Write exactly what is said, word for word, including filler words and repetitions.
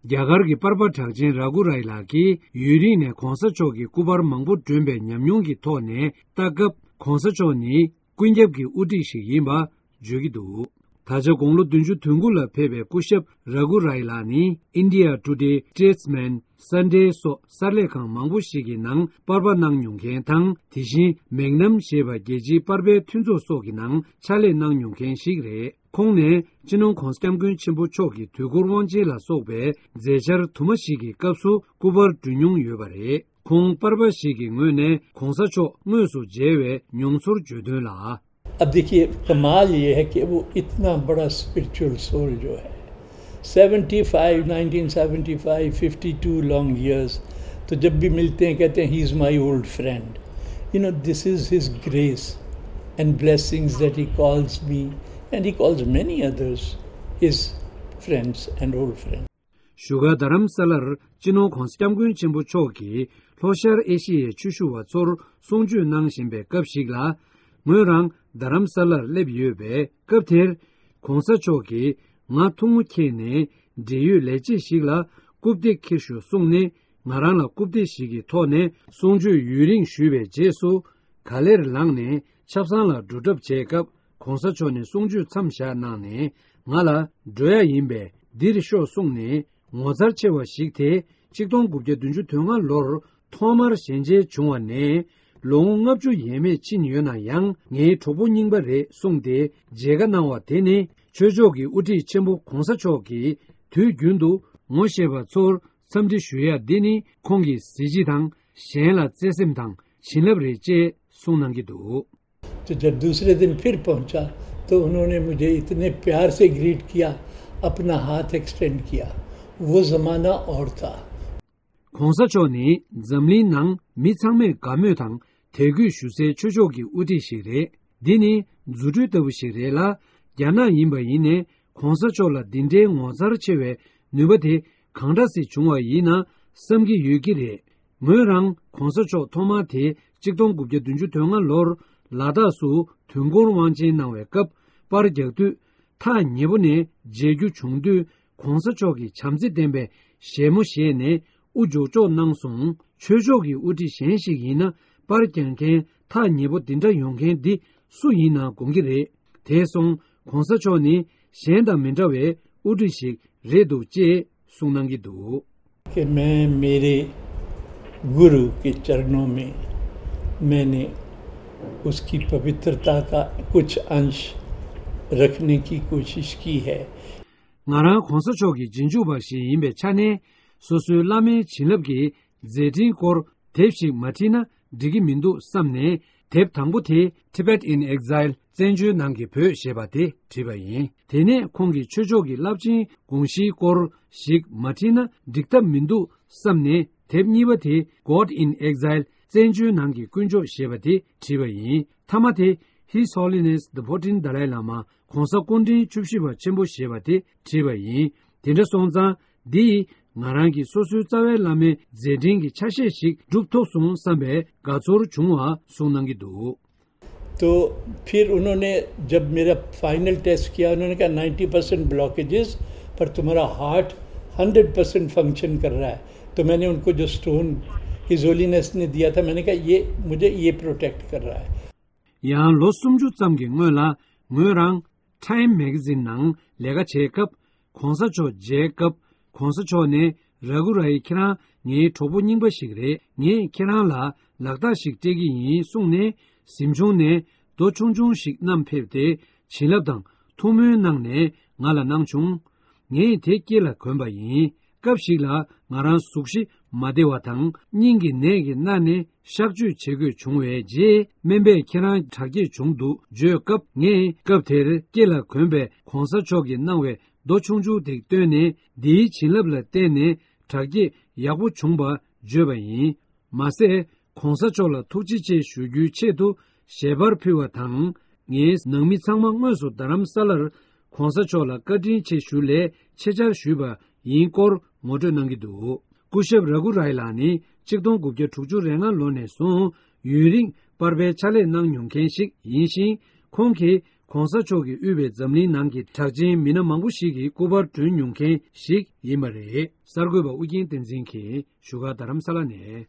རྒྱ་གར་གྱི་པར་པ་གྲགས་ཅན་ར་གུ་རའི་ལགས་ཀྱིས་ཡུན་རིང་ནས་༧གོང་ས་མཆོག་གི་སྐུ་པར་མང་པོ་སྒྲོན་པའི་ཉམས་མྱོང་གི་ཐོག་ནས་ལྟ་སྐབས། ༧གོང་ས་མཆོག་ནི་ཀུན་ཁྱབ་ཀྱི་དབུ་ཁྲིད་ཞིག་ཡིན་པ་བརྗོད་ཀྱི་འདུག་ད་ཆ་དགུང་ལོ་བདུན་ཅུ་དོན་དགུ་ལ་ཕེབས་པའི་སྐུ་ཞབས་ར་གུ་རའི་ལགས་ནི་India Today, Statesman, Sunday སོགས་གསར་ལས་ཁང་མང་པོ་ཞིག་གི་ནང་པར་པ་གནང་མྱོང་མཁན་དང་། དེ་བཞིན་མེག་ནམ་ཞེས་པ་རྒྱལ་སྤྱིའི་པར་པའི་མཐུན་ཚོགས་སོགས་ཀྱི་ནང་ཕྱག་ལས་གནང་མྱོང་མཁན་ཞིག་རེད། ཁོང་ནས་སྤྱི་ནོར་༧གོང་ས་༧སྐྱབས་མགོན་ཆེན་པོ་མཆོག་གི་དུས་འཁོར་དབང་ཆེན་ལ་སོགས་པའི་མཛད་འཆར་དུ་མ་ཞིག་གི་སྐབས་སུ་སྐུ་པར་སྒྲོན་མྱོང་ཡོད་པ་རེད། ཁོང་པར་པ་ཞིག་གི་ངོས་ནས་༧གོང་ས་མཆོག་དངོས་སུ་མཇལ་བའི་མྱོང་ཚོར་བརྗོད་དོན་ལ། अब देखिए, कमाल ये है कि वो इतना बड़ा स्पिरिचुअल सोल जो है, seventy five, nineteen seventy five, fifty two long years, तो जब भी मिलते हैं कहते हैं, "He is my old friend." You know, this is his grace and blessings that he calls me and he calls many others his friends and old friends. བཞུགས་སྒར་རྡ་རམ་ས་ལར་སྤྱི་ནོར་༧གོང་ས་༧སྐྱབས་མགོན་ཆེན་པོ་མཆོག་གིས་ལྷོ་ཤར་ཨེ་ཤི་ཡའི་ཆོས་ཞུ་བ་ཚོར་གསུང་ཆོས་གནང་བཞིན་པའི་སྐབས་ཤིག་ལ། ངོས་རང་རྡ་རམ་ས་ལར་སླེབས་ཡོད་པས། སྐབས་དེར་༧གོང་ས་མཆོག་གིས་ང་ཐུགས་མོ་ཁྱེར་ནས་འབྲེལ་ཡོད་ལས་བྱེད་ཞིག་ལ་རྐུབ་སྟེགས་འཁྱེར་ཤོག་གསུངས་ནས། ང་རང་ལ་རྐུབ་སྟེགས་ཤིག་གི་ཐོག་ནས་གསུང་ཆོས་ཡུན་རིང་ཞུས་པའི་རྗེས་སུ། ག་ལེར་ལངས་ནས་ཆབ་གསང་ལ་འགྲོ་གྲབས་བྱས་སྐབས། ༧གོང་ས་མཆོག་ནས་གསུང་ཆོས་མཚམས་བཞག་གནང་ནས། ང་ལ་འགྲོ་ཡ་ཡིན་པས་འདིར་ཤོག་གསུངས་ནས་ངོ་མཚར་ཆེ་བ་ཞིག་དེ། ཆིག་སྟོང་དགུ་བརྒྱ་བདུན་ཅུ་དོན་ལྔ་ལོར་ཐོག་མར་ཞལ་མཇལ་བྱུང་བ་ནས་ལོ་ངོ་ལྔ་བཅུ་ཡས་མས་ཕྱིན་ཡོད་ན་ཡང་། ངའི་གྲོགས་པོ་རྙིང་པ་རེད་གསུངས་ཏེ་མཇལ་ཁ་གནང་བ་དེ་ནི། ཆོས་ཕྱོགས་ཀྱི་དབུ་ཁྲིད་ཆེན་པོ་༧གོང་ས་མཆོག་གིས་དུས་རྒྱུན་དུ་ངོ་ཤེས་པ་ཚོར་འཚམས་འདྲི་ཞུ་ཡ་འདི་ནི། ཁོང་གི་གཟི་བརྗིད་དང་གཞན་ལ་བརྩེ་སེམས་དང་བྱིན་རླབས་རེད་ཅེས་གསུངས་གནང་གི་འདུག तो जब दूसरे दिन फिर पहुंचा, तो उन्होंने मुझे इतने प्यार से ग्रीट किया, अपना हाथ एक्सटेंड किया। वो जमाना और था। ༧གོང་ས་མཆོག་ནི་འཛམ་གླིང་ནང་མི་ཚང་མས་དགའ་མོས་དང་དད་གུས་ཞུ་སའི་ཆོས་ཕྱོགས་ཀྱི་དབུ་ཁྲིད་ཞིག་རེད། འདི་ནི་རྫུ་འཕྲུལ་ལྟ་བུ་ཞིག་རེད་ལ། རྒྱ་ནག་ཡིན་པ་ཡིན་ནའི་༧གོང་ས་མཆོག་ལ་འདི་འདྲའི་ངོ་མཚར་ཆེ་བའི་ནུས་པ་དེ་གང་འདྲ་སེ་བྱུང་བ་ཡིན་ན་བསམ་གྱི་ཡོད་ཀྱི་རེད། ངོས་རང་༧གོང་ས་མཆོག་ཐོག་མར་དེ་ཆིག་སྟོང་དགུ་བརྒྱ་བདུན་ཅུ་དོན་ལྔ་ལོར་ལ་དྭགས་སུ་དུས་འཁོར་དབང་ཆེན་གནང་བའི་སྐབས་པར་རྒྱག་དུས། ཐག་ཉེ་པོ་ནས་མཇལ་རྒྱུ་བྱུང་དུས། ༧གོང་ས་མཆོག་གི་བྱམས་བརྩེ་ལྡན་པའི་ཞལ་མོ་བཞེས་ནས་དབུ་འཇོག་འཇོག་གནང་སོང་། ཆོས་ཕྱོགས་ཀྱི་དབུ་ཁྲིད་གཞན་ཞིག་ཡིན་ན། པར་རྒྱག་མཁན་ཐག་ཉེ་པོ་འདི་འདྲ་ཡོང་མཁན་འདི་སུ་ཡིན་ན་དགོངས་ཀྱི་རེད། དེ་སོང་༧གོང་ས་མཆོག་ནི་གཞན་དང་མི་འདྲ་བའི་དབུ་ཁྲིད་ཞིག་རེད་འདུག་ཅེས་གསུངས་གནང་གི་འདུག कि मैं मेरे गुरु के चरणों में मैंने उसकी पवित्रता का कुछ अंश रखने की कोशिश की है। ང་རང་༧གོང་ས་མཆོག་གི་རྗེས་འཇུག་པ་ཞིག་ཡིན་པའི་ཆ་ནས། སོ་སོའི་བླ་མའི་བྱིན་རླབས་ཀྱི་མཛད་འཕྲིན་སྐོར་དེབ་ཞིག་མ་བྲིས་ན་འགྲིག་གི་མི་འདུག་བསམ་ནས། དེབ་དང་པོ་དེ་Tibet in Exile, བཙན་བྱོལ་ནང་གི་བོད་ཞེས་པ་དེ་བྲིས་པ་ཡིན། དེ་ནས་ཁོང་གི་ཆོས་ཕྱོགས་ཀྱི་རླབས་ཆེན་དགོངས་གཞིའི་སྐོར་ཞིག་མ་བྲིས་ན་འགྲིག་ཐབས་མི་འདུག་བསམ་ནས། དེབ་གཉིས་པ་དེ་God in Exile, བཙན་བྱོལ་ནང་གི་དཀོན་མཆོག་ཞེས་པ་དེ་བྲིས་པ་ཡིན། མཐའ་མ་དེ་His Holiness the fourteenth Dalai Lama, གོང་ས་སྐུ་ཕྲེང་བཅུ་བཞི་པ་ཆེན་པོ་ཞེས་པ་དེ་བྲིས་པ་ཡིན། དེ་འདྲ་སོང་ཙང་། འདི་ཡིས་ང་རང་གིས་སོ་སོའི་རྩ་བའི་བླ་མའི་མཛད་འཕྲིན་གྱི་ཆ་ཤས་ཤིག་སྒྲུབ་ཐུབ་སོང་བསམ་པའི་དགའ་ཚོར་བྱུང་བ་གསུངས་གནང་གི་འདུག तो फिर उन्होंने जब मेरा फाइनल टेस्ट किया, उन्होंने कहा, "नाइंटी परसेंट ब्लॉकेजेस, पर तुम्हारा हार्ट हंड्रेड परसेंट फंक्शन कर रहा है।" तो मैंने उनको जो स्टोन हिज होलीनेस ने दिया था, मैंने कहा, "ये मुझे ये प्रोटेक्ट कर रहा है।" ཡང་ལོ་སུམ་ཅུ་ཙམ་གྱི་སྔོན་ལ་ངོས་རང་Time Magazine ནང་ལས་ཀ་བྱེད་སྐབས། གོང་ས་མཆོག་མཇལ་སྐབས། གོང་ས་མཆོག་ནས། ར་གུ་རའི་ཁྱེད་རང་ངའི་གྲོགས་པོ་རྙིང་པ་ཞིག་རེད། ངས་ཁྱེད་རང་ལ་ལག་རྟགས་ཤིག་སྤྲད་ཀྱི་ཡིན་གསུངས་ནས། གཟིམ་ཆུང་ནས་རྡོ་ཆུང་ཆུང་ཞིག་བསྣམས་ཕེབས་ཏེ། བྱིན་རླབས་དང་ཐུགས་སྨོན་གནང་ནས་ང་ལ་གནང་བྱུང་། ངས་དེ་སྐེ་ལ་གོན་པ་ཡིན། སྐབས་ཤིག་ལ་ང་རང་གཟུགས་གཞི་མ་བདེ་བ་དང་། སྙིང་གི་ནད་ཀྱིས་མནར་ནས་གཤག་བཅོས་བྱེད་དགོས་བྱུང་བའི་རྗེས། སྨན་པས་ཁྱེད་རང་དྲག་སྐྱེད་བྱུང་འདུག་བརྗོད་སྐབས། ངས་སྐབས་དེར་སྐེ་ལ་གོན་པའི་གོང་ས་མཆོག་གིས་གནང་བའི་རྡོ་ཆུང་ཆུང་དེ་བཏོན་ནས། འདིའི་བྱིན་རླབས་ལ་བརྟེན་ནས་དྲག་སྐྱེད་ཡག་པོ་བྱུང་བ་བརྗོད་པ་ཡིན། མ་ཟད། གོང་ས་མཆོག་ལ་ཐུགས་རྗེ་ཆེ་ཞུ་རྒྱུའི་ཆེད་དུ་ཞལ་པར་ཕུལ་བ་དང་། ངའི་ནང་མི་ཚང་མ་དངོས་སུ་རྡ་རམ་ས་ལར་གོང་ས་མཆོག་ལ་བཀའ་དྲིན་ཆེ་ཞུ་སླད་ཆེད་བཅར་ཞུས་པ་ཡིན་སྐོར་ངོ་སྤྲོད་གནང་གི་འདུག་སྐུ་ཞབས་ར་གུ་རའི་ལགས་ནི་ཆིག་སྟོང་དགུ་བརྒྱ་དྲུག་ཅུ་རེ་ལྔ་ལོ་ནས་བཟུང་ཡུན་རིང་པར་པའི་ཕྱག་ལས་གནང་མྱོང་མཁན་ཞིག་ཡིན་ཞིང་། ཁོང་གིས་ ༸གོང་ས་མཆོག་གིས་དབུས་པའི་འཛམ་གླིང་ནང་གི་གྲགས་ཅན་མི་སྣ་མང་པོ་ཞིག་གི་སྐུ་པར་བྲུན་མྱོང་མཁན་ཞིག་ཡིན་པ་རེད། གསར་འགོད་པ་ཨུ་རྒྱན་བསྟན་འཛིན་གྱིས་བཞུགས་སྒར་རྡ་རམ་ས་ལ་ནས།